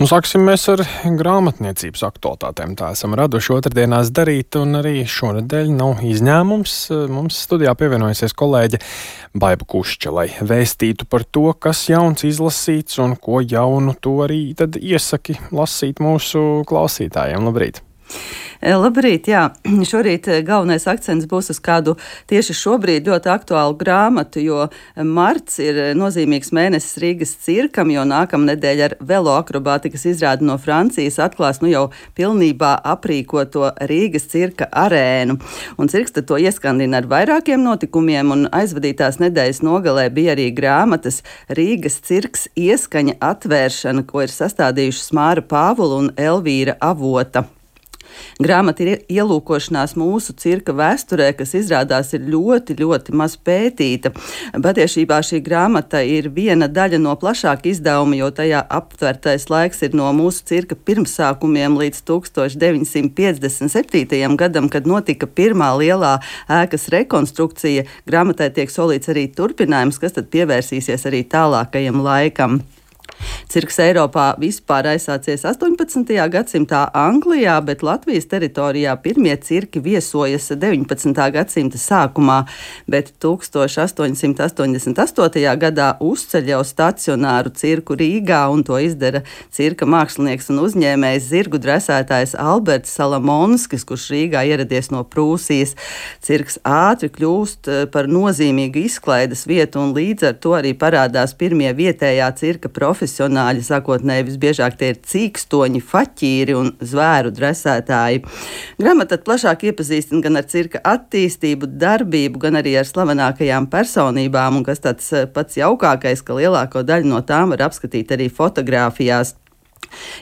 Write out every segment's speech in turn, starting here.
Sāksim mēs ar grāmatniecības aktualitātēm. Tā esam raduši otrdienās darīt, un arī šonedēļ nav izņēmums. Mums studijā pievienojusies kolēģe Baiba Kušča, lai vēstītu par to, kas jauns izlasīts un ko jaunu tu arī tad iesaki lasīt mūsu klausītājiem. Labrīt! Labrīt, jā. Šorīt galvenais akcents būs uz kādu tieši šobrīd ļoti aktuālu grāmatu, jo marts ir nozīmīgs mēnesis Rīgas cirkam, jo nākamnedēļ ar veloakrobātikas izrādi no Francijas atklās jau pilnībā aprīkoto Rīgas cirka arēnu. Un cirks tad to ieskandina ar vairākiem notikumiem, un aizvadītās nedēļas nogalē bija arī grāmatas Rīgas cirks ieskaņa atvēršana, ko ir sastādījušas Māra Pāvula un Elvīra Avota. Grāmata ir ielūkošanās mūsu cirka vēsturē, kas izrādās ir ļoti, ļoti maz pētīta. Patiesībā šī grāmata ir viena daļa no plašāka izdevuma, jo tajā aptvertais laiks ir no mūsu cirka pirmsākumiem līdz 1957. gadam, kad notika pirmā lielā ēkas rekonstrukcija. Grāmatai tiek solīts arī turpinājums, kas tad pievērsīsies arī tālākajam laikam. Cirks Eiropā vispār aizsācies 18. gadsimtā Anglijā, bet Latvijas teritorijā pirmie cirki viesojas 19. gadsimta sākumā, bet 1888. gadā uzceļ jau stacionāru cirku Rīgā, un to izdara cirka mākslinieks un uzņēmējs zirgu dresētājs Alberts Salamonskis, kurš Rīgā ieradies no Prūsijas. Cirks ātri kļūst par nozīmīgu izklaides vietu, un līdz ar to arī parādās pirmie vietējā cirka profesionāļi. Sākotnēji visbiežāk tie ir cīkstoņi, faķīri un zvēru dresētāji. Grāmata plašāk iepazīstina gan ar cirka attīstību, darbību, gan arī ar slavenākajām personībām, un kas tāds pats jaukākais, ka lielāko daļu no tām var apskatīt arī fotogrāfijās.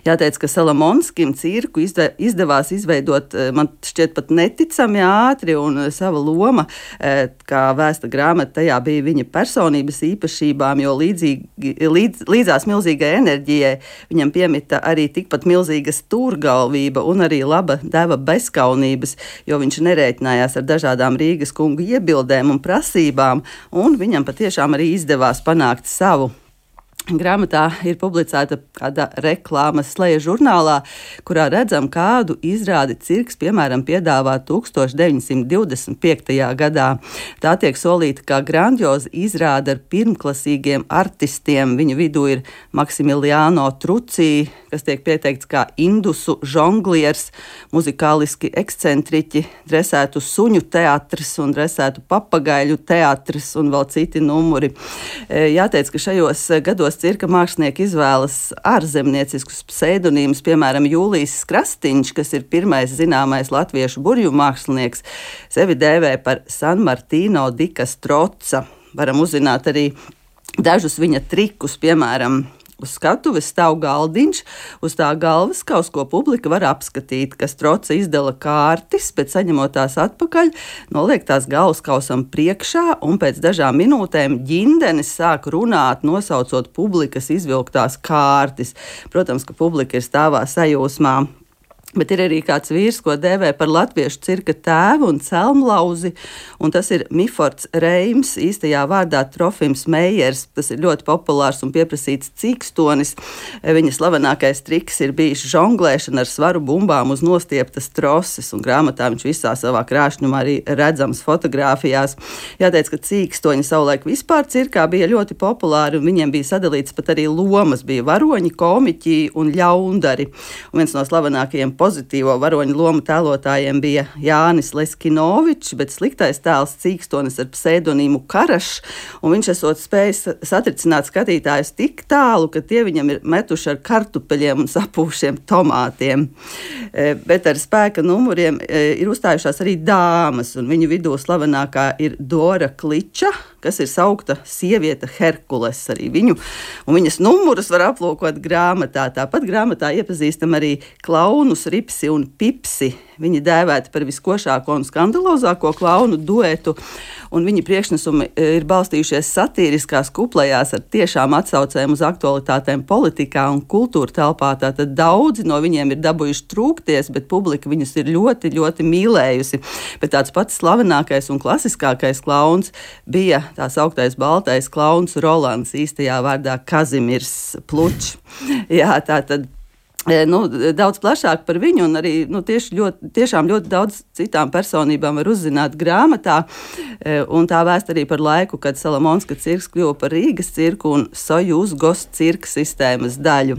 Jāteic, ka Salamonskim cirku izdevās izveidot, man šķiet, pat neticami ātri, un sava loma, kā vēsta grāmata, tajā bija viņa personības īpašībām, jo līdzās milzīgai enerģijai viņam piemita arī tikpat milzīga stūrgalvība un arī laba deva bezkaunības, jo viņš nerēķinājās ar dažādām Rīgas kungu iebildēm un prasībām, un viņam patiešām arī izdevās panākt savu. Grāmatā ir publicēta kāda reklāmas sleja žurnālā, kurā redzam, kādu izrādi cirks, piemēram, piedāvā 1925. gadā. Tā tiek solīta kā grandioza izrāde ar pirmklasīgiem artistiem. Viņu vidū ir Maksimiliāno Trucī, kas tiek pieteikts kā indusu žongliers, muzikāliski ekscentriķi, dresētu suņu teatris un dresētu papagaļu teatris un vēl citi numuri. Jāteic, ka šajos gados cirka mākslinieki izvēlas ārzemnieciskus pseidonīmus, piemēram, Jūlijs Krastīņš, kas ir pirmais zināmais latviešu burju mākslinieks, sevi dēvē par San Martino di Castroza. Varam uzzināt arī dažus viņa trikus, piemēram, uz skatuves stāv galdiņš, uz tā galvas kaus, ko publika var apskatīt, kas Troca izdala kārtis, bet saņemot tās atpakaļ, noliek tās galvas kausam priekšā, un pēc dažām minūtēm ģindenis sāk runāt, nosaucot publikas izvilktās kārtis. Protams, ka publika ir stāvā sajūsmā. Bet ir arī kāds vīrs, ko dēvē par latviešu cirka tēvu un celmlauzi, un tas ir Mifords Reims, īstajā vārdā Trofims Meijers. Tas ir ļoti populārs un pieprasīts cīkstonis. Viņa slavenākais triks ir bijis žonglēšana ar svaru bumbām uz nostieptas troses, un grāmatā viņš visā savā krāšņumā arī redzams fotogrāfijās. Jāteic, ka cīkstoņi savulaik vispār cirkā bija ļoti populāri, un viņiem bija sadalīts pat arī lomas, bija varoņi, komiķi un ļaundari. Un viens no slavenākajiem pozitīvo varoņu lomu tēlotājiem bija Jānis Leskinovičs, bet sliktais tēls cīkstonis ar pseidonīmu Karašs, un viņš esot spējis satricināt skatītājus tik tālu, ka tie viņam ir metuši ar kartupeļiem un sapūšiem tomātiem. Bet ar spēka numuriem ir uzstājušās arī dāmas, un viņu vidū slavenākā ir Dora Kliča, kas ir saukta sieviete Herkules. Arī viņu un viņas numurus var aplūkot grāmatā. Tāpat grāmatā iepazīstam arī klaunus Ripsi un Pipsi. Viņi dēvēti par viskošāko un skandalozāko klaunu duetu, un viņi priekšnesumi ir balstījušies satīriskās kuplējās ar tiešām atsaucēm uz aktualitātēm politikā un kultūra telpā. Tātad daudzi no viņiem ir dabūjuši trūkties, bet publika viņus ir ļoti, ļoti mīlējusi. Bet tāds pats slavenākais un klasiskākais klauns bija tā sauktais baltais klauns Rolands, īstajā vārdā Kazimirs Plučs. Jā, tātad Daudz plašāk par viņu, un arī tiešām ļoti daudz citām personībām var uzzināt grāmatā. Un tā vēsta arī par laiku, kad Salamonska cirks kļuva par Rīgas cirku un Sojuz Gost cirka sistēmas daļu.